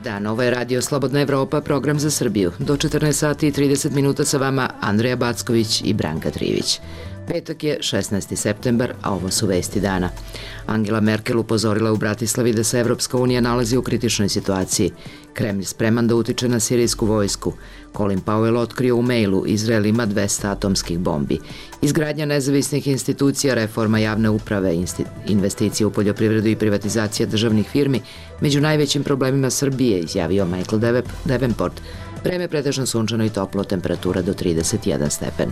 dan, ovo je Radio Slobodna Evropa, program za Srbiju. Do 14 sati i 30 minuta sa vama Andreja Backović i Branka Trivić. Petak je 16. septembar, a ovo su vesti dana. Angela Merkel upozorila u Bratislavi da se Evropska unija nalazi u kritičnoj situaciji. Kremlj spreman da utiče na sirijsku vojsku. Colin Powell otkrio u mailu Izrael ima 200 atomskih bombi. Izgradnja nezavisnih institucija, reforma javne uprave, investicije u poljoprivredu i privatizacija državnih firmi među najvećim problemima Srbije, izjavio Michael Davenport. Vreme pretežno sunčano i toplo, temperatura do 31 stepen.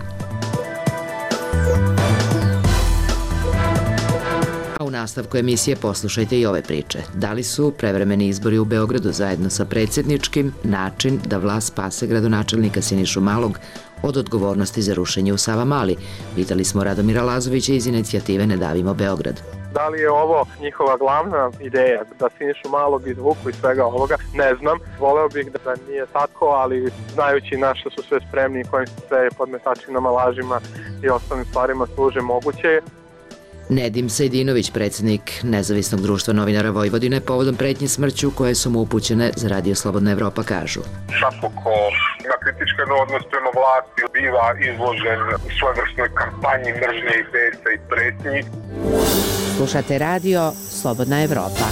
A u nastavku emisije poslušajte i ove priče. Da li su prevremeni izbori u Beogradu zajedno sa predsjedničkim način da vlast spase gradonačelnika Sinišu Malog od odgovornosti za rušenje u Savamali? Pitali smo Radomira Lazovića iz inicijative Ne davimo Beograd. Da li je ovo njihova glavna ideja, da Sinišu Malog izvuku iz svega ovoga, ne znam. Voleo bih da nije tako, ali znajući na što su sve spremni i kojim se sve podmetačinama, lažima i ostalim stvarima služe, moguće je. Nedim Sejdinović, predsjednik Nezavisnog društva novinara Vojvodine, povodom pretnje smrću koje su mu upućene za Radio Slobodna Evropa, kažu: Svako ko ima kritički odnos prema vlasti biva izložen svojevrsnoj kampanji mržnje i besa i pretnji. Slušate Radio Slobodna Evropa.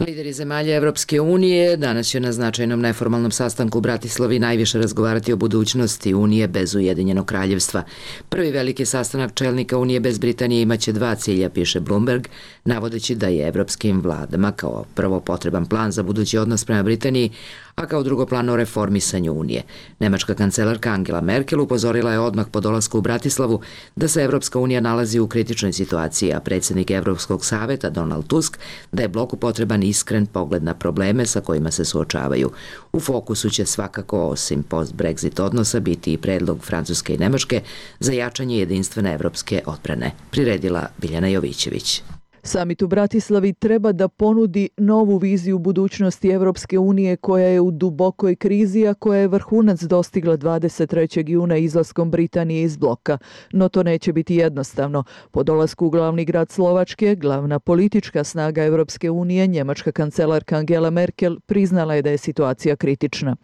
Lideri zemalja Evropske unije danas će na značajnom neformalnom sastanku u Bratislavi najviše razgovarati o budućnosti Unije bez Ujedinjenog kraljevstva. Prvi veliki sastanak čelnika Unije bez Britanije imaće dva cilja, piše Bloomberg, navodeći da je evropskim vladama kao prvo potreban plan za budući odnos prema Britaniji, a kao drugo plan o reformisanju Unije. Nemačka kancelarka Angela Merkel upozorila je odmah po dolasku u Bratislavu da se Evropska unija nalazi u kritičnoj situaciji, a predsjednik Evropskog saveta Donald Tusk da je bloku potreban iskren pogled na probleme sa kojima se suočavaju. U fokusu će svakako, osim post-Brexit odnosa, biti i predlog Francuske i Nemačke za jačanje jedinstvene evropske odbrane, priredila Biljana Jovićević. Samit u Bratislavi treba da ponudi novu viziju budućnosti Evropske unije koja je u dubokoj krizi, a koja je vrhunac dostigla 23. juna izlaskom Britanije iz bloka. No to neće biti jednostavno. Po dolasku u glavni grad Slovačke, glavna politička snaga Evropske unije, njemačka kancelarka Angela Merkel, priznala je da je situacija kritična.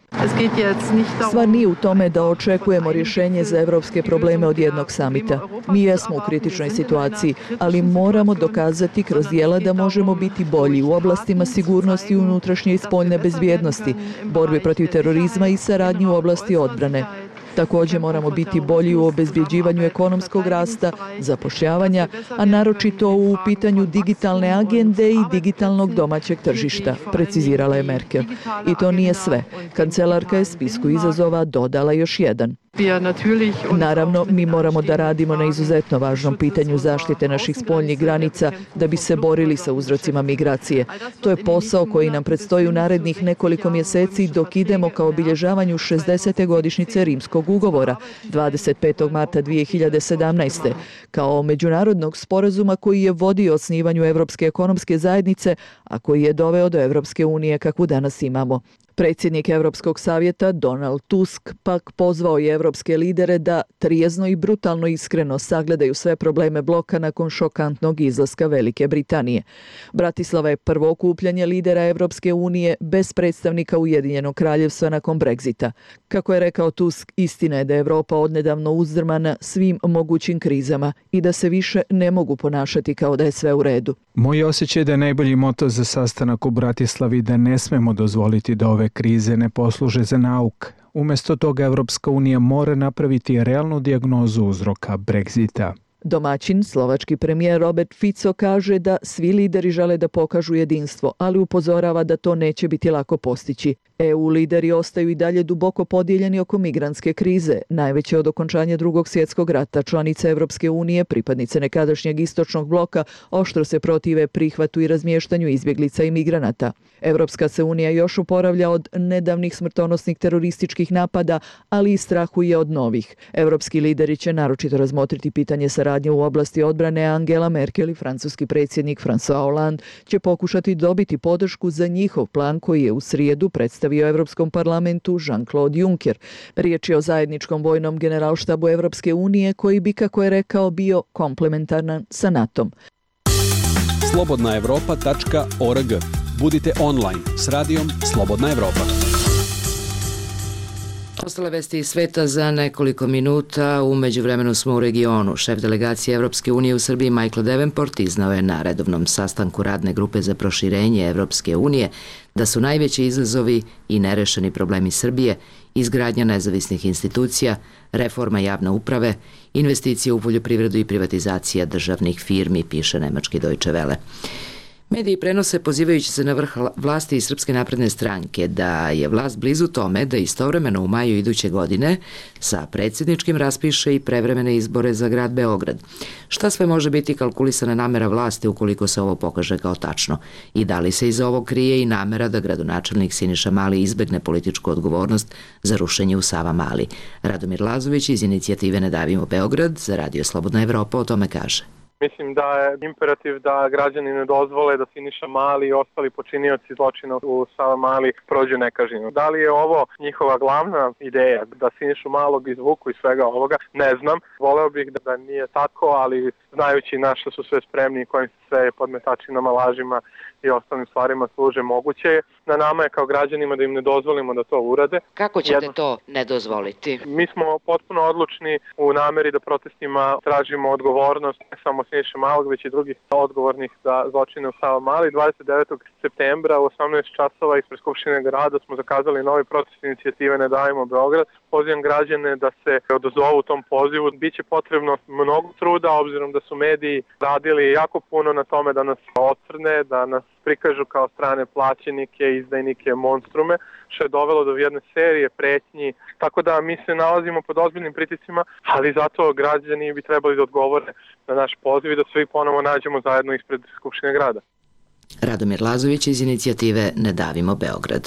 Stvar nije u tome da očekujemo rješenje za evropske probleme od jednog samita. Mi jesmo u kritičnoj situaciji, ali moramo dokazati kroz djela da možemo biti bolji u oblastima sigurnosti, unutrašnje i spoljne bezbjednosti, borbi protiv terorizma i saradnji u oblasti odbrane. Također moramo biti bolji u obezbjeđivanju ekonomskog rasta, zapošljavanja, a naročito u pitanju digitalne agende i digitalnog domaćeg tržišta, precizirala je Merkel. I to nije sve. Kancelarka je spisku izazova dodala još jedan. Naravno, mi moramo da radimo na izuzetno važnom pitanju zaštite naših spoljnih granica da bi se borili sa uzrocima migracije. To je posao koji nam predstoji u narednih nekoliko mjeseci dok idemo ka obilježavanju 60. godišnjice Rimskog ugovora 25. marta 2017. kao međunarodnog sporazuma koji je vodio osnivanju Evropske ekonomske zajednice, a koji je doveo do Evropske unije kakvu danas imamo. Predsjednik Evropskog savjeta Donald Tusk pak pozvao je evropske lidere da trijezno i brutalno iskreno sagledaju sve probleme bloka nakon šokantnog izlaska Velike Britanije. Bratislava je prvo okupljanje lidera Evropske unije bez predstavnika Ujedinjenog kraljevstva nakon Brexita. Kako je rekao Tusk, istina je da je Evropa odnedavno uzdrmana svim mogućim krizama i da se više ne mogu ponašati kao da je sve u redu. Moj osjećaj da je najbolji moto za sastanak u Bratislavi da ne smemo dozvoliti da ove krize ne posluže za nauk. Umjesto toga Evropska unija mora napraviti realnu dijagnozu uzroka Brexita. Domaćin, slovački premijer Robert Fico, kaže da svi lideri žele da pokažu jedinstvo, ali upozorava da to neće biti lako postići. EU lideri ostaju i dalje duboko podijeljeni oko migrantske krize, najveće od okončanja Drugog svjetskog rata. Članice Evropske unije, pripadnice nekadašnjeg istočnog bloka, oštro se protive prihvatu i razmještanju izbjeglica i migranata. Evropska se unija još oporavlja od nedavnih smrtonosnih terorističkih napada, ali i strahuje od novih. Evropski lideri će naročito razmotriti pitanje saradnje u oblasti odbrane. Angela Merkel i francuski predsjednik François Hollande će pokušati dobiti podršku za njihov plan koji je u srijedu predstavio Evropskom parlamentu Jean-Claude Juncker. Riječ je o zajedničkom vojnom generalštabu Evropske unije koji bi, kako je rekao, bio komplementaran sa NATO-om. slobodnaevropa.org. Budite online s radijom Slobodna Evropa. Ostale vesti iz sveta za nekoliko minuta. U međuvremenu smo u regionu. Šef delegacije Evropske unije u Srbiji Michael Davenport iznao je na redovnom sastanku radne grupe za proširenje Evropske unije da su najveći izazovi i nerešeni problemi Srbije izgradnja nezavisnih institucija, reforma javne uprave, investicije u poljoprivredu i privatizacija državnih firmi, piše nemački Deutsche Welle. Mediji prenose pozivajući se na vrh vlasti i Srpske napredne stranke da je vlast blizu tome da istovremeno u maju iduće godine sa predsjedničkim raspiše i prevremene izbore za grad Beograd. Šta sve može biti kalkulisana namera vlasti ukoliko se ovo pokaže kao tačno? I da li se iza ovog krije i namera da gradonačelnik Siniša Mali izbegne političku odgovornost za rušenje u Savamali? Radomir Lazović iz inicijative Ne davimo Beograd za Radio Slobodna Evropa o tome kaže. Mislim da je imperativ da građani ne dozvole da Siniša Mali i ostali počinioci zločina u Savamali prođu nekažnjeno. Da li je ovo njihova glavna ideja, da Sinišu Malog izvuku iz svega ovoga, ne znam. Voleo bih da nije tako, ali znajući na što su sve spremni i kojim se sve podmetačinama, lažima i ostalim stvarima služe, moguće je. Na nama je kao građanima da im ne dozvolimo da to urade. Kako ćete to ne dozvoliti? Mi smo potpuno odlučni u nameri da protestima tražimo odgovornost ne samo Siniše Malog, već i drugih odgovornih za zločine u Savamali. 29. septembra u 18 časova ispred Skupštine grada smo zakazali novi protest inicijative Ne davimo Beograd. Pozivam građane da se odazovu tom pozivu. Biće potrebno mnogo truda, obzirom da su mediji radili jako puno na tome da nas ocrne, da nas prikažu kao strane plaćenike, izdajnike, monstrume, što je dovelo do jedne serije pretnji. Tako da mi se nalazimo pod ozbiljnim pritiscima, ali zato građani bi trebali da odgovore na naš poziv i da svi ponovo nađemo zajedno ispred Skupštine grada. Radomir Lazović iz inicijative Ne davimo Beograd.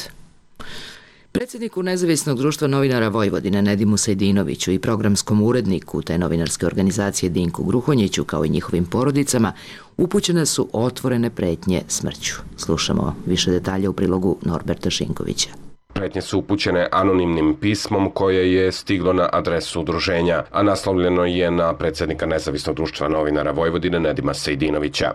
Predsjedniku Nezavisnog društva novinara Vojvodine Nedimu Sejdinoviću i programskom uredniku te novinarske organizacije Dinku Gruhonjiću kao i njihovim porodicama upućene su otvorene pretnje smrću. Slušamo više detalja u prilogu Norberta Šinkovića. Pretnje su upućene anonimnim pismom koje je stiglo na adresu udruženja, a naslovljeno je na predsjednika Nezavisnog društva novinara Vojvodine Nedima Sejdinovića.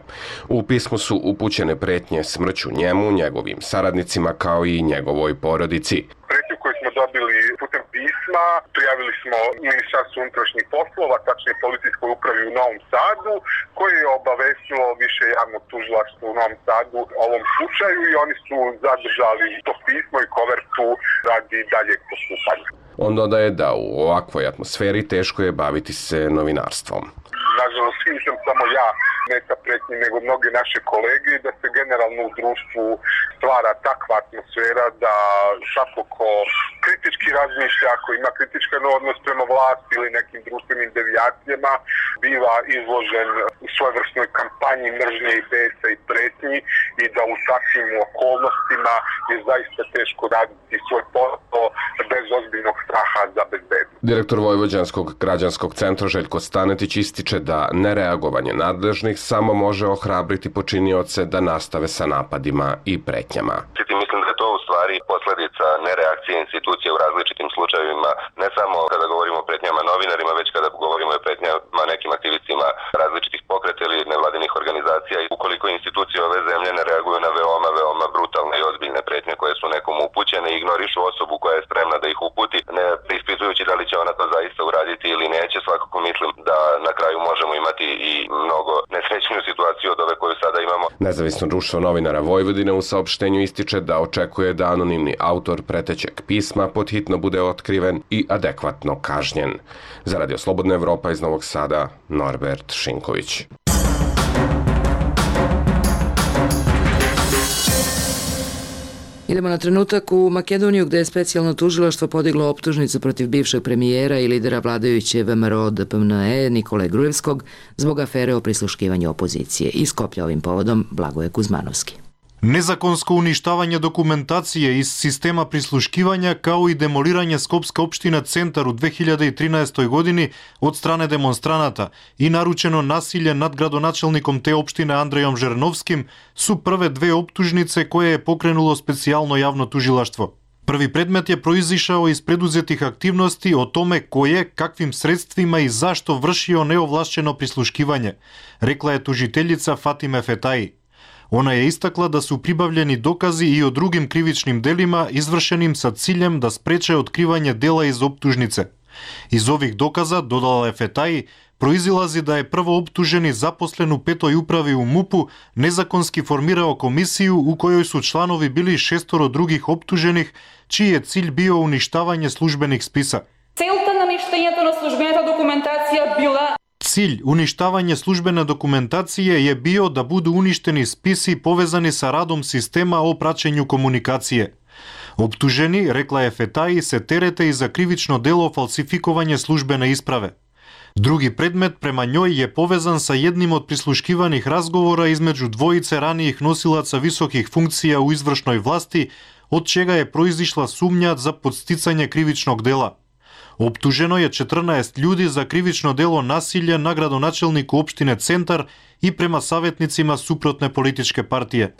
U pismu su upućene pretnje smrću njemu, njegovim saradnicima kao i njegovoj porodici. Pretnju koju smo dobili putem pisma prijavili smo Ministarstvu unutrašnjih poslova, tačnije policijskoj upravi u Novom Sadu, koje je obavestilo više javnog tužilaštva u Novom Sadu o ovom slučaju i oni su zadržali to pismo i kovertu radi daljeg postupanja. On dodaje da u ovakvoj atmosferi teško je baviti se novinarstvom. Nažalost, nisam samo ja meta pretnji, nego mnoge naše kolege, da se generalno u društvu stvara takva atmosfera da svako ko kritički razmišlja, ako ima kritičkan odnos prema vlasti ili nekim društvenim devijacijama, biva izložen u svojevrsnoj kampanji mržnje i besa i pretnji i da u takvim okolnostima je zaista teško raditi svoj posao bez ozbiljnog straha za bezbednost. Direktor Vojvođanskog građanskog centra Željko Stanetić ističe da nereagovanje nadležnih samo može ohrabriti počinioce da nastave sa napadima i pretnjama. Mislim da je to u stvari posljedica nereakcije institucije u različitim slučajevima, ne samo kada govorimo o pretnjama novinarima, već kada govorimo o pretnjama nekim aktivistima različitih pokreta ili nevladinih organizacija. I ukoliko institucije ove zemlje ne reaguju na veoma brutalne i ozbiljne pretnje koje su nekom upućene i ignorišu osobu koja je spremna da ih uputi, ne preispitujući da li će ona to zaista uraditi ili neće, svakako mislim da na kraju možemo imati i mnogo nesrećniju situaciju od ove koju sada imamo. Nezavisno društvo novinara Vojvodine u saopštenju ističe da očekuje da anonimni autor pretećeg pisma podhitno bude otkriven i adekvatno kažnjen. Za Radio Slobodna Evropa iz Novog Sada, Norbert Šinković. Idemo na trenutak u Makedoniju gde je specijalno tužilaštvo podiglo optužnicu protiv bivšeg premijera i lidera vladajuće VMRO DPMNE Nikole Grujevskog zbog afere o prisluškivanju opozicije. Iz Skoplja ovim povodom Blagoje Kuzmanovski. Незаконско уништавање документација из система прислушкивања, као и демолирање Скопска општина Центар у 2013 години од стране демонстраната и наручено насилје над градоначелником те општина Андрејом Жерновским су прве две оптужнице кои е покренуло специјално јавно тужилаштво. Први предмет е произишао из предузетих активности о томе кој е, каквим средствима и зашто вршио неовлашчено прислушкивање, рекла е тужителjica Фатиме Фетаи. Ona je istakla da su pribavljeni dokazi i o drugim krivičnim delima izvršenim sa ciljem da spreče otkrivanje dela iz optužnice. Iz ovih dokaza, dodala je Fetaji, proizilazi da je prvo optuženi zaposlen u 5. upravi u MUP-u nezakonski formirao komisiju u kojoj su članovi bili 6 drugih optuženih, čiji je cilj bio uništavanje službenih spisa. Cilj uništavanja službene dokumentacije je bio da budu uništeni spisi povezani sa radom sistema o praćenju komunikacije. Optuženi, rekla je Fetaji, se terete i za krivično delo falsifikovanje službene isprave. Drugi predmet prema njoj je povezan sa jednim od prisluškivanih razgovora između dvojice ranijih nosilaca visokih funkcija u izvršnoj vlasti, od čega je proizišla sumnja za podsticanje krivičnog dela. Optuženo je 14 ljudi za krivično delo nasilja na gradonačelniku opštine Centar i prema savjetnicima suprotne političke partije.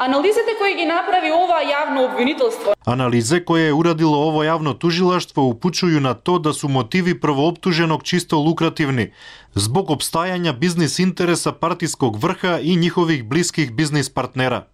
Analize koje je uradilo ovo javno tužilaštvo upućuju na to da su motivi prvooptuženog čisto lukrativni, zbog opstajanja biznis interesa partijskog vrha i njihovih bliskih biznis partnera.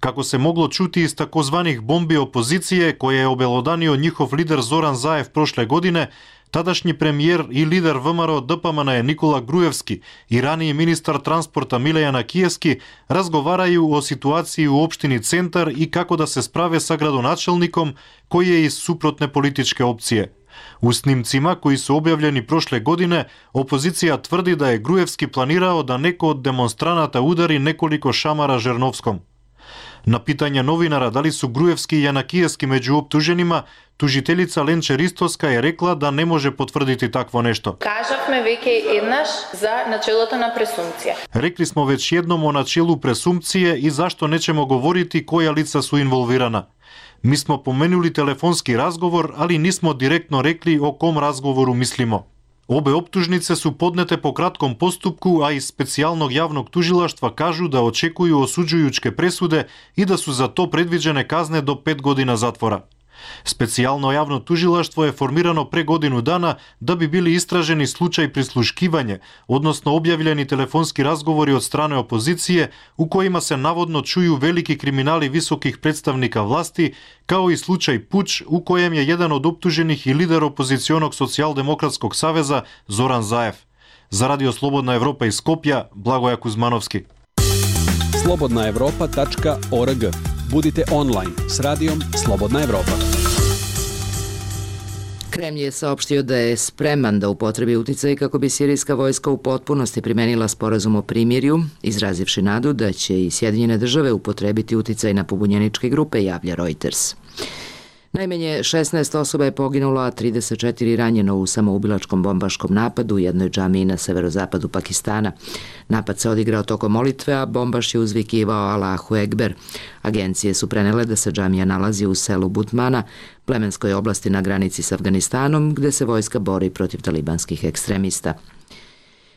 Kako se moglo čuti iz takozvanih bombi opozicije koje je obelodanio njihov lider Zoran Zaev prošle godine, tadašnji premijer i lider VMRO DPMN je Nikola Grujevski i raniji ministar transporta Milejana Kijevski razgovaraju o situaciji u opštini Centar i kako da se sprave sa gradonačelnikom koji je iz suprotne političke opcije. U snimcima koji su objavljeni prošle godine, opozicija tvrdi da je Grujevski planirao da neko od demonstranata udari nekoliko šamara Žernovskom. Na pitanje novinara da li su Grujevski i Janakijevski među optuženima, tužiteljica Lenče Ristoska je rekla da ne može potvrditi takvo nešto. Kažavme veke jednaš za načelото na presumpcija. Rekli smo već jednom o načelu presumpcije i zašto nećemo govoriti koja lica su involvirana. Mi smo pomenuli telefonski razgovor, ali nismo direktno rekli o kom razgovoru mislimo. Obe optužnice su podnete po kratkom postupku, a iz specijalnog javnog tužilaštva kažu da očekuju osuđujuće presude i da su za to predviđene kazne do 5 godina zatvora. Specijalno javno tužilaštvo je formirano pre godinu dana da bi bili istraženi slučaj prisluškivanje, odnosno objavljeni telefonski razgovori od strane opozicije u kojima se navodno čuju veliki kriminali visokih predstavnika vlasti, kao i slučaj puč u kojem je jedan od optuženih i lider opozicionog socijaldemokratskog saveza Zoran Zaev. Za Radio Slobodna Evropa iz Skopja, Blagoja Kuzmanovski. slobodnaevropa.org. Budite online s radijom Slobodna Evropa. Kremlj je saopštio da je spreman da upotrebi uticaj kako bi sirijska vojska u potpunosti primenila sporazum o primirju, izrazivši nadu da će i Sjedinjene države upotrebiti uticaj na pobunjeničke grupe, javlja Reuters. Najmanje 16 osoba je poginulo, a 34 ranjeno u samoubilačkom bombaškom napadu u jednoj džamiji na severozapadu Pakistana. Napad se odigrao tokom molitve, a bombaš je uzvikivao Allahu Ekber. Agencije su prenele da se džamija nalazi u selu Butmana, plemenskoj oblasti na granici s Afganistanom, gde se vojska bori protiv talibanskih ekstremista.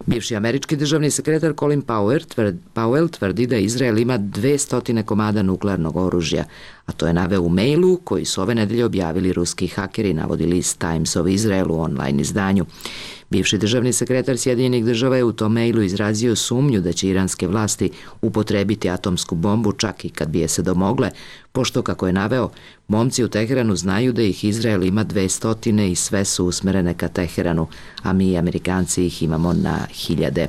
Bivši američki državni sekretar Colin Powell tvrdi da Izrael ima 200 komada nuklearnog oružja, a to je naveo u mailu koji su ove nedelje objavili ruski hakeri, navodi list Times of Israel u online izdanju. Bivši državni sekretar Sjedinjenih država je u tom mailu izrazio sumnju da će iranske vlasti upotrebiti atomsku bombu čak i kad bi je se domogle, pošto, kako je naveo, momci u Teheranu znaju da ih Izrael ima 200 i sve su usmerene ka Teheranu, a mi, Amerikanci, ih imamo na hiljade.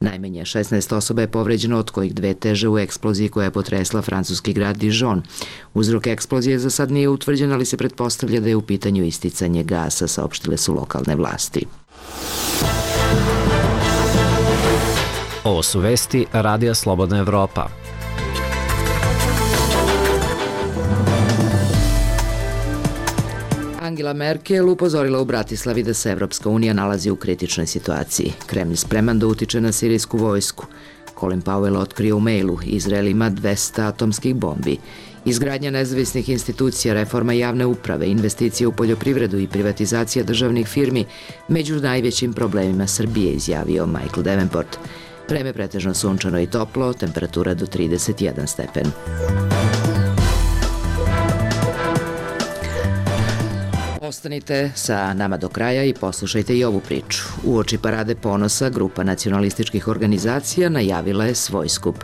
Najmanje 16 osoba je povređeno, od kojih 2 teže u eksploziji koja je potresla francuski grad Dijon. Uzrok eksplozije za sad nije utvrđen, ali se pretpostavlja da je u pitanju isticanje gasa, saopštile su lokalne vlasti. Ovo su vesti Radija Slobodna Evropa. Angela Merkel upozorila u Bratislavi da se Evropska unija nalazi u kritičnoj situaciji. Kremlj spreman da utiče na sirijsku vojsku. Colin Powell otkrio u mailu: Izrael ima 200 atomskih bombi. Izgradnja nezavisnih institucija, reforma javne uprave, investicije u poljoprivredu i privatizacija državnih firmi među najvećim problemima Srbije, izjavio Michael Davenport. Vreme pretežno sunčano i toplo, temperatura do 31 stepen. Ostanite sa nama do kraja i poslušajte i ovu priču. Uoči Parade ponosa, grupa nacionalističkih organizacija najavila je svoj skup.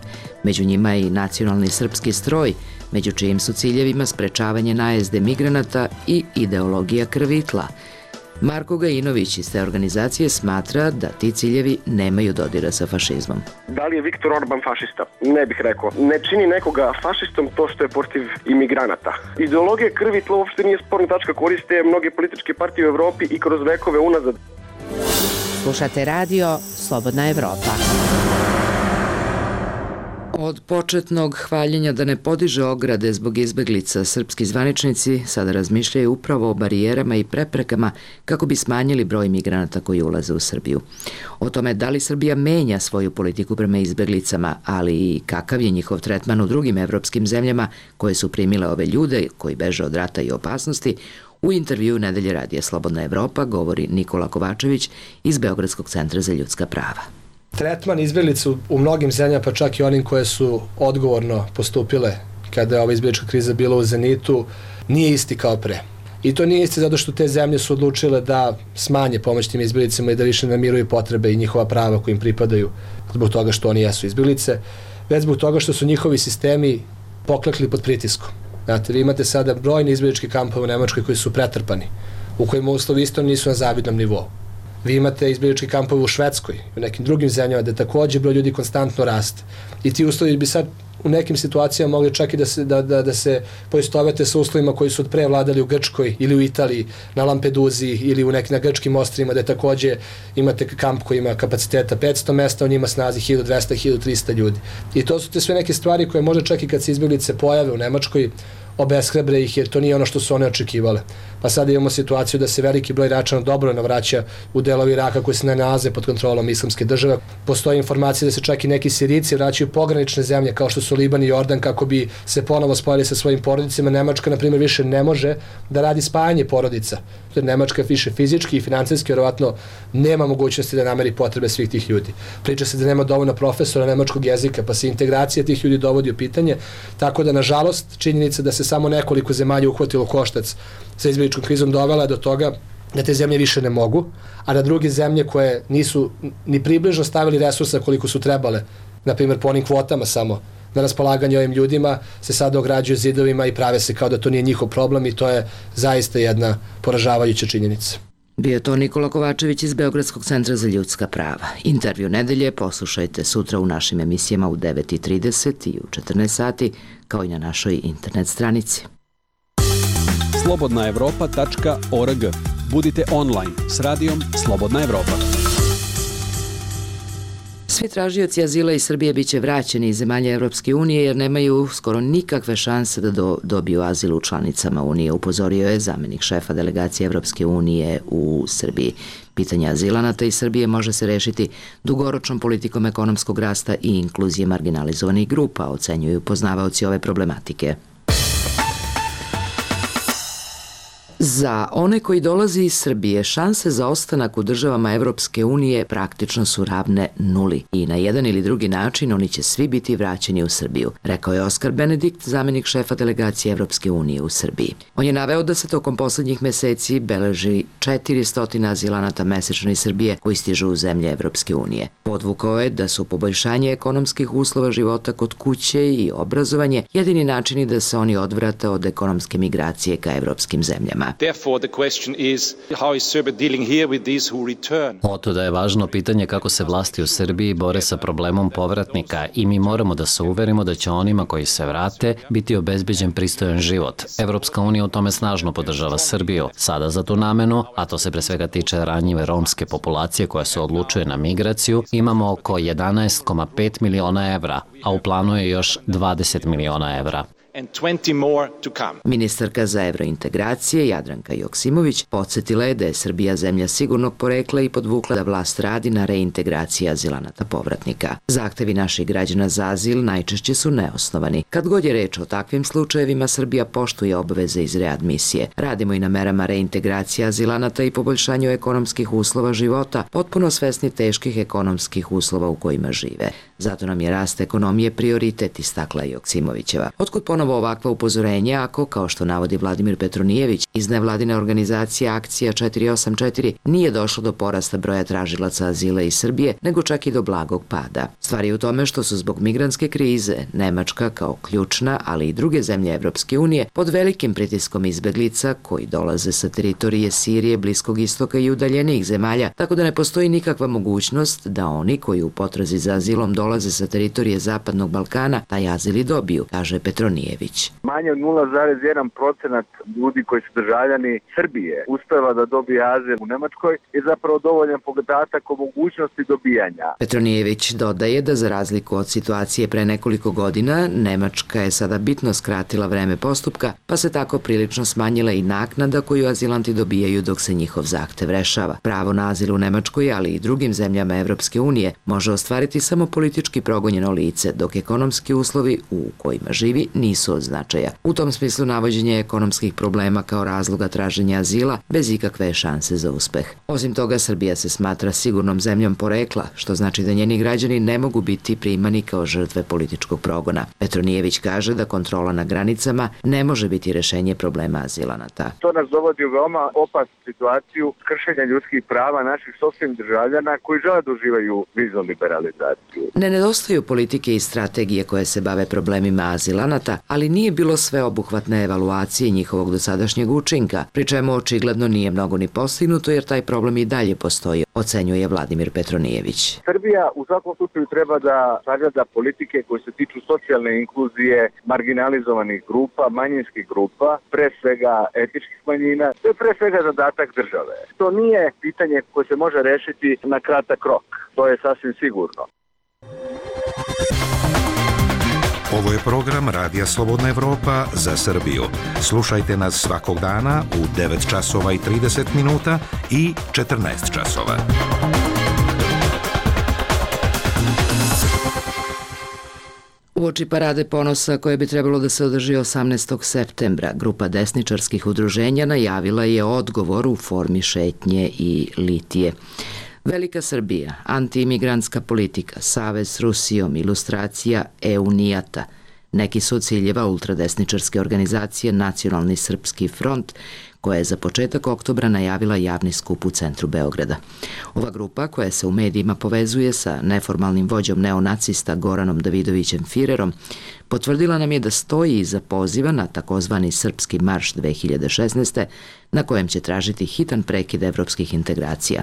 Među njima je i nacionalni srpski stroj, među čijim su ciljevima sprečavanje najezde migranata i ideologija krvi i tla. Marko Gajinović iz te organizacije smatra da ti ciljevi nemaju dodira sa fašizmom. Da li je Viktor Orban fašista? Ne bih rekao. Ne čini nekoga fašistom to što je protiv imigranata. Ideologija krvi i tla uopšte nije sporna tačka, koriste mnoge političke partije u Evropi i kroz vekove unazad. Slušate radio Slobodna Evropa. Od početnog hvaljenja da ne podiže ograde zbog izbeglica, srpski zvaničnici sada razmišljaju upravo o barijerama i preprekama kako bi smanjili broj migranata koji ulaze u Srbiju. O tome da li Srbija menja svoju politiku prema izbeglicama, ali i kakav je njihov tretman u drugim evropskim zemljama koje su primile ove ljude koji beže od rata i opasnosti, u intervju Nedelje radija Slobodna Evropa govori Nikola Kovačević iz Beogradskog centra za ljudska prava. Tretman izbeglica u mnogim zemljama, pa čak i onim koje su odgovorno postupile kada je ova izbeglička kriza bila u zenitu, nije isti kao pre. I to nije isti zato što te zemlje su odlučile da smanje pomoć tim izbeglicama i da više namiruju potrebe i njihova prava koji im pripadaju zbog toga što oni jesu izbeglice, već zbog toga što su njihovi sistemi poklekli pod pritiskom. Znate, vi imate sada brojne izbegličke kampove u Nemačkoj koji su pretrpani, u kojima uslovi isto nisu na zavidnom nivou. Vi imate izbegličke kampove u Švedskoj, u nekim drugim zemljama gde takođe broj ljudi konstantno raste. I ti uslovi bi sad u nekim situacijama mogli čak i da se poistovete sa uslovima koji su od pre vladali u Grčkoj ili u Italiji, na Lampeduzi ili na grčkim ostrvima gde takođe imate kamp koji ima kapaciteta 500 mesta, on ima snazi 1200-1300 ljudi. I to su te sve neke stvari koje može čak i kad se izbeglice pojave u Nemačkoj, obeshrabre ih jer to nije ono što su one očekivale. Pa sada imamo situaciju da se veliki broj Iračana dobrovoljno vraća u delovi Iraka koji se ne nalaze pod kontrolom islamske države. Postoje informacije da se čak i neki Sirijci vraćaju u pogranične zemlje kao što su Liban i Jordan kako bi se ponovo spojili sa svojim porodicama. Nemačka, na primjer, više ne može da radi spajanje porodica. Nemačka više fizički i finansijski vjerovatno nema mogućnosti da nameri potrebe svih tih ljudi. Priča se da nema dovoljno profesora nemačkog jezika, pa se integracija tih ljudi dovodi u pitanje. Tako da, nažalost, činjenica da se samo nekoliko zemalja uhvatilo koštac sa izbegličkom krizom dovela do toga da te zemlje više ne mogu, a da druge zemlje koje nisu ni približno stavili resursa koliko su trebale, na primjer po onim kvotama samo, na raspolaganje ovim ljudima, se sada ograđuju zidovima i prave se kao da to nije njihov problem i to je zaista jedna poražavajuća činjenica. Bio to Nikola Kovačević iz Beogradskog centra za ljudska prava. Intervju Nedelje poslušajte sutra u našim emisijama u 9:30 i u 14 sati, kao i na našoj internet stranici. slobodnaevropa.org. Budite online s radijom Slobodna Evropa. Svi tražioci azila iz Srbije biće vraćeni iz zemalja Evropske unije jer nemaju skoro nikakve šanse da dobiju azil u članicama Unije, upozorio je zamenik šefa delegacije Evropske unije u Srbiji. Pitanje azilanata iz Srbije može se rešiti dugoročnom politikom ekonomskog rasta i inkluzije marginalizovanih grupa, ocenjuju poznavaoci ove problematike. Za one koji dolaze iz Srbije, šanse za ostanak u državama Evropske unije praktično su ravne nuli i na jedan ili drugi način oni će svi biti vraćeni u Srbiju, rekao je Oskar Benedikt, zamenik šefa delegacije Evropske unije u Srbiji. On je naveo da se tokom poslednjih meseci beleži 400 azilanata mesečno iz Srbije koji stižu u zemlje Evropske unije. Podvukao je da su poboljšanje ekonomskih uslova života kod kuće i obrazovanje jedini načini da se oni odvrate od ekonomske migracije ka evropskim zemljama. Otuda je važno pitanje kako se vlasti u Srbiji bore sa problemom povratnika i mi moramo da se uverimo da će onima koji se vrate biti obezbeđen pristojan život. Evropska unija u tome snažno podržava Srbiju. Sada za tu namenu, a to se pre svega tiče ranjive romske populacije koja se odlučuje na migraciju, imamo oko 11,5 miliona evra, a u planu je još 20 miliona evra. Ministarka za evrointegracije Jadranka Joksimović podsjetila je da je Srbija zemlja sigurnog porekla i podvukla da vlast radi na reintegraciji azilanata povratnika. Zahtevi naših građana za azil najčešće su neosnovani. Kad god je reč o takvim slučajevima, Srbija poštuje obaveze iz readmisije. Radimo i na merama reintegracije azilanata i poboljšanju ekonomskih uslova života, potpuno svesni teških ekonomskih uslova u kojima žive. Zato nam je rast ekonomije prioritet, istakla Joksimovićeva. Otkud ponovo ponovo ovakva upozorenja ako, kao što navodi Vladimir Petronijević, iz nevladine organizacije Akcija 484 nije došlo do porasta broja tražilaca azila iz Srbije, nego čak i do blagog pada. Stvar je u tome što su zbog migrantske krize Nemačka kao ključna, ali i druge zemlje Evropske unije pod velikim pritiskom izbeglica koji dolaze sa teritorije Sirije, Bliskog istoka i udaljenijih zemalja, tako da ne postoji nikakva mogućnost da oni koji u potrazi za azilom dolaze sa teritorije Zapadnog Balkana taj azil i dobiju, kaže Petronijević. Manje od 0,1% ljudi koji su državljani Srbije uspeva da dobije azil u Nemačkoj je zapravo dovoljan podatak o mogućnosti dobijanja. Petronijević dodaje da za razliku od situacije pre nekoliko godina, Nemačka je sada bitno skratila vreme postupka, pa se tako prilično smanjila i naknada koju azilanti dobijaju dok se njihov zahtev rešava. Pravo na azil u Nemačkoj, ali i drugim zemljama Evropske unije, može ostvariti samo politički progonjeno lice, dok ekonomski uslovi u kojima živi nisu od značaja. U tom smislu navođenje ekonomskih problema kao razloga traženja azila bez ikakve šanse za uspeh. Osim toga, Srbija se smatra sigurnom zemljom porekla, što znači da njeni građani ne mogu biti primani kao žrtve političkog progona. Petronijević kaže da kontrola na granicama ne može biti rešenje problema azilanata. To nas dovodi u veoma opasnu situaciju kršenja ljudskih prava naših sopstvenih državljana koji žele da uživaju viznu liberalizaciju. Ne nedostaju politike i strategije koje se bave problemima azilanata, ali nije bilo sveobuhvatne evaluacije njihovog dosadašnjeg učinka, pri čemu očigledno nije mnogo ni postignuto jer taj problem i dalje postoji, ocenjuje Vladimir Petronijević. Srbija u svakom slučaju treba da sagleda politike koje se tiču socijalne inkluzije, marginalizovanih grupa, manjinskih grupa, pre svega etničkih manjina. To je pre svega zadatak države. To nije pitanje koje se može rešiti na kratak rok. To je sasvim sigurno. Ovo je program Radija Slobodna Evropa za Srbiju. Slušajte nas svakog dana u 9 časova i 30 minuta i 14 časova. Uoči parade ponosa koje bi trebalo da se održi 18. septembra, grupa desničarskih udruženja najavila je odgovor u formi šetnje i litije. Velika Srbija, antiimigrantska politika, savez s Rusijom, ilustracija EU-nijata, neki su od ciljeva ultradesničarske organizacije Nacionalni srpski front, koja je za početak oktobra najavila javni skup u centru Beograda. Ova grupa, koja se u medijima povezuje sa neformalnim vođom neonacista Goranom Davidovićem Firerom, potvrdila nam je da stoji iza poziva na takozvani Srpski marš 2016. na kojem će tražiti hitan prekid evropskih integracija.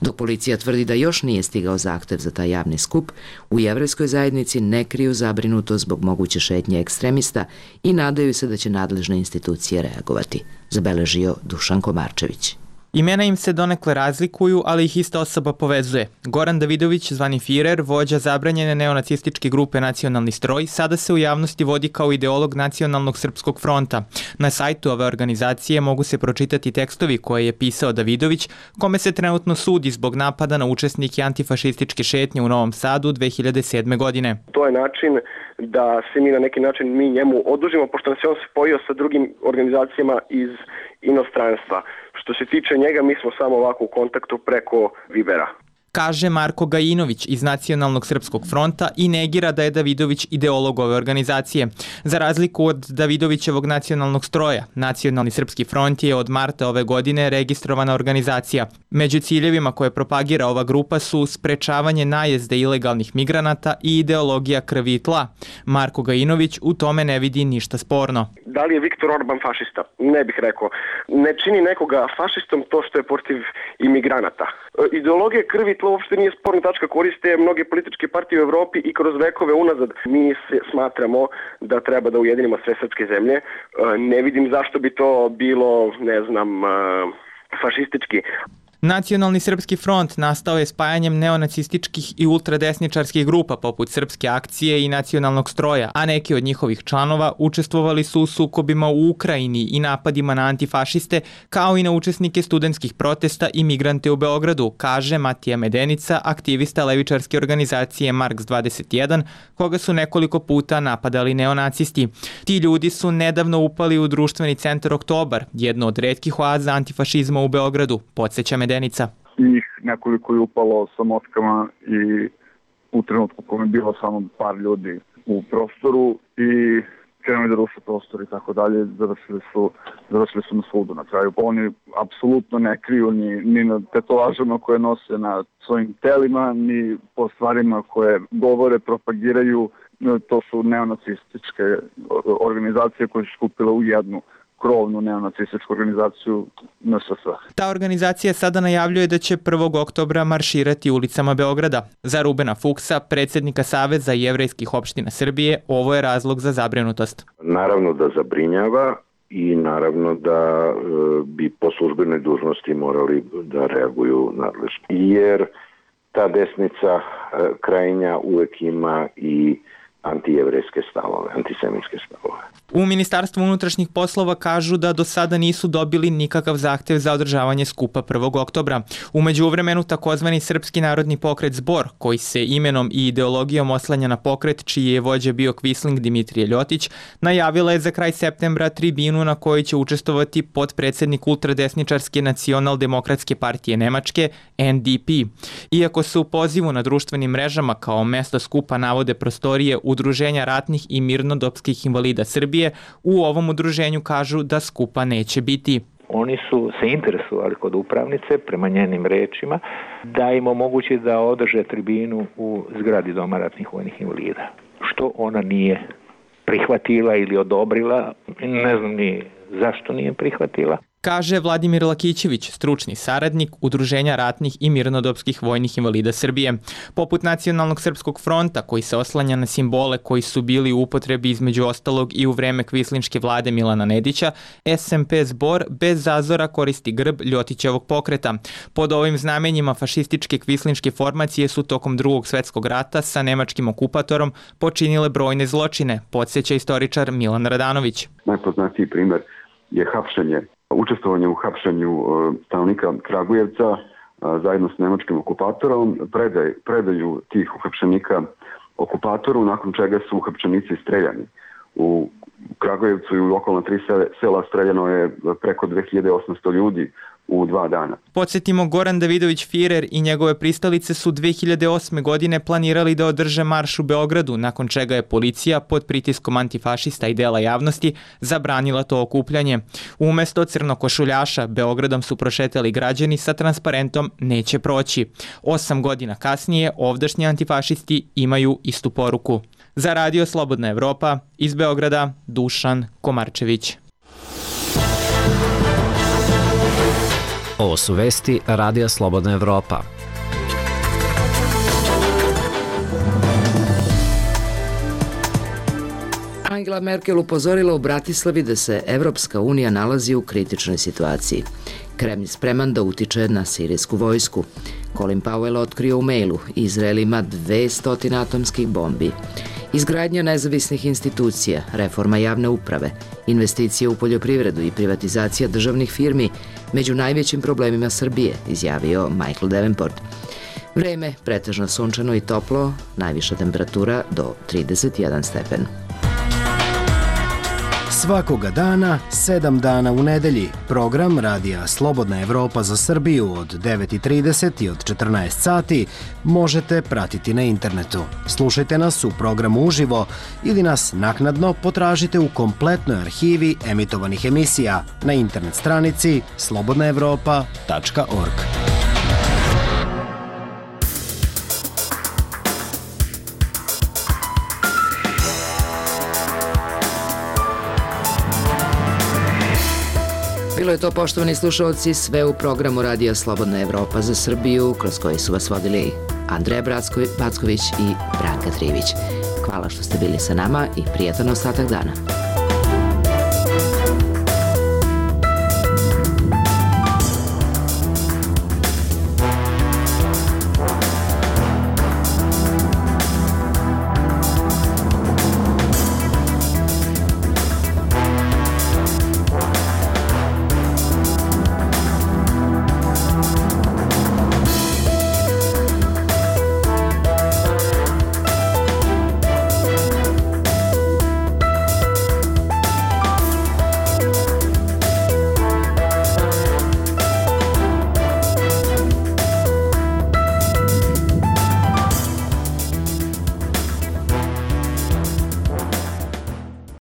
Dok policija tvrdi da još nije stigao zahtev za taj javni skup, u jevrejskoj zajednici ne kriju zabrinuto zbog moguće šetnje ekstremista i nadaju se da će nadležne institucije reagovati, zabeležio Dušan Komarčević. Imena im se donekle razlikuju, ali ih ista osoba povezuje. Goran Davidović, zvani Firer, vođa zabranjene neonacističke grupe Nacionalni stroj, sada se u javnosti vodi kao ideolog Nacionalnog srpskog fronta. Na sajtu ove organizacije mogu se pročitati tekstovi koje je pisao Davidović, kome se trenutno sudi zbog napada na učesnike antifašističke šetnje u Novom Sadu 2007. godine. To je način da se mi na neki način njemu odužimo, pošto nas je on spojio sa drugim organizacijama iz inostranstva. Što se tiče njega, mi smo samo ovako u kontaktu preko Vibera. Kaže Marko Gajinović iz Nacionalnog srpskog fronta i negira da je Davidović ideolog ove organizacije. Za razliku od Davidovićevog nacionalnog stroja, Nacionalni srpski front je od marta ove godine registrovana organizacija. Među ciljevima koje propagira ova grupa su sprečavanje najezde ilegalnih migranata i ideologija krvi i tla. Marko Gajinović u tome ne vidi ništa sporno. Da li je Viktor Orban fašista? Ne bih rekao. Ne čini nekoga fašistom to što je protiv imigranata. Ideologija krvi i tla uopšte nije sporna tačka, koriste mnoge političke partije u Evropi i kroz vekove unazad. Mi smatramo da treba da ujedinimo sve srpske zemlje. Ne vidim zašto bi to bilo, fašistički. Nacionalni srpski front nastao je spajanjem neonacističkih i ultradesničarskih grupa poput Srpske akcije i Nacionalnog stroja, a neki od njihovih članova učestvovali su u sukobima u Ukrajini i napadima na antifašiste, kao i na učesnike studentskih protesta i migrante u Beogradu, kaže Matija Medenica, aktivista levičarske organizacije Marks 21, koga su nekoliko puta napadali neonacisti. Ti ljudi su nedavno upali u društveni centar Oktobar, jedno od retkih oaza antifašizma u Beogradu, podsjeća Medenica. Njih nekoliko je upalo sa motkama i u trenutku kome je bilo samo par ljudi u prostoru i krenuli da ruše tako dalje, završili su na sudu na kraju. Oni apsolutno ne kriju ni na tetovažama koje nose na svojim telima, ni po stvarima koje govore, propagiraju. To su neonacističke organizacije koje su skupile u jednu krovnu neonacističku organizaciju NSS. Ta organizacija sada najavljuje da će 1. oktobra marširati ulicama Beograda. Za Rubena Fuksa, predsjednika Saveza jevrejskih opština Srbije, ovo je razlog za zabrinutost. Naravno da zabrinjava i naravno da bi po službenoj dužnosti morali da reaguju nadležno. Jer ta desnica krajnja uvek ima i antijevrejske stavove, antisemitske stavove. U Ministarstvu unutrašnjih poslova kažu da do sada nisu dobili nikakav zahtev za održavanje skupa 1. oktobra. U međuvremenu takozvani Srpski narodni pokret Zbor, koji se imenom i ideologijom oslanja na pokret čiji je vođa bio Kvisling Dimitrije Ljotić, najavila je za kraj septembra tribinu na kojoj će učestvovati potpredsjednik ultradesničarske nacionaldemokratske partije Nemačke, NDP. Iako se u pozivu na društvenim mrežama kao mesto skupa navode prostorije Udruženja ratnih i mirnodopskih invalida Srbije, u ovom udruženju kažu da skupa neće biti. Oni su se interesovali kod upravnice, prema njenim rečima, da im omogući da održe tribinu u zgradi Doma ratnih vojnih invalida. Što ona nije prihvatila ili odobrila, ne znam ni zašto nije prihvatila. Kaže Vladimir Lakićević, stručni saradnik Udruženja ratnih i mirnodopskih vojnih invalida Srbije. Poput Nacionalnog srpskog fronta, koji se oslanja na simbole koji su bili u upotrebi između ostalog i u vreme kvislinške vlade Milana Nedića, SMP Zbor bez zazora koristi grb Ljotićevog pokreta. Pod ovim znamenjima fašističke kvislinške formacije su tokom Drugog svjetskog rata sa nemačkim okupatorom počinile brojne zločine, podsjeća istoričar Milan Radanović. Najpoznatiji primjer je učestvovanje u hapšenju stanovnika Kragujevca zajedno s nemačkim okupatorom, predaju tih uhapšenika okupatoru, nakon čega su uhapšenici streljani. U Kragujevcu i u okolna 3 sela streljano je preko 2800 ljudi u 2 dana. Podsjetimo, Goran Davidović-Firer i njegove pristalice su 2008. godine planirali da održe marš u Beogradu, nakon čega je policija pod pritiskom antifašista i dela javnosti zabranila to okupljanje. Umesto crnokošuljaša, Beogradom su prošetali građani sa transparentom "Neće proći". 8 godina kasnije ovdašnji antifašisti imaju istu poruku. Za Radio Slobodna Evropa, iz Beograda, Dušan Komarčević. Ovo su vesti Radija Slobodna Evropa. Angela Merkel upozorila u Bratislavi da se Evropska unija nalazi u kritičnoj situaciji. Kremlj spreman da utiče na sirijsku vojsku. Colin Powell otkrio u mailu: Izrael ima 200 atomskih bombi. Izgradnja nezavisnih institucija, reforma javne uprave, investicije u poljoprivredu i privatizacija državnih firmi među najvećim problemima Srbije, izjavio Michael Davenport. Vreme pretežno sunčano i toplo, najviša temperatura do 31 stepen. Svakoga dana, 7 dana u nedelji, program Radija Slobodna Evropa za Srbiju od 9:30 i od 14 sati možete pratiti na internetu. Slušajte nas u programu uživo ili nas naknadno potražite u kompletnoj arhivi emitovanih emisija na internet stranici slobodnaevropa.org. Bilo je to, poštovani slušalci, sve u programu Radija Slobodna Evropa za Srbiju, kroz koji su vas vodili Andreja Backović i Branka Trivić. Hvala što ste bili sa nama i prijatan ostatak dana.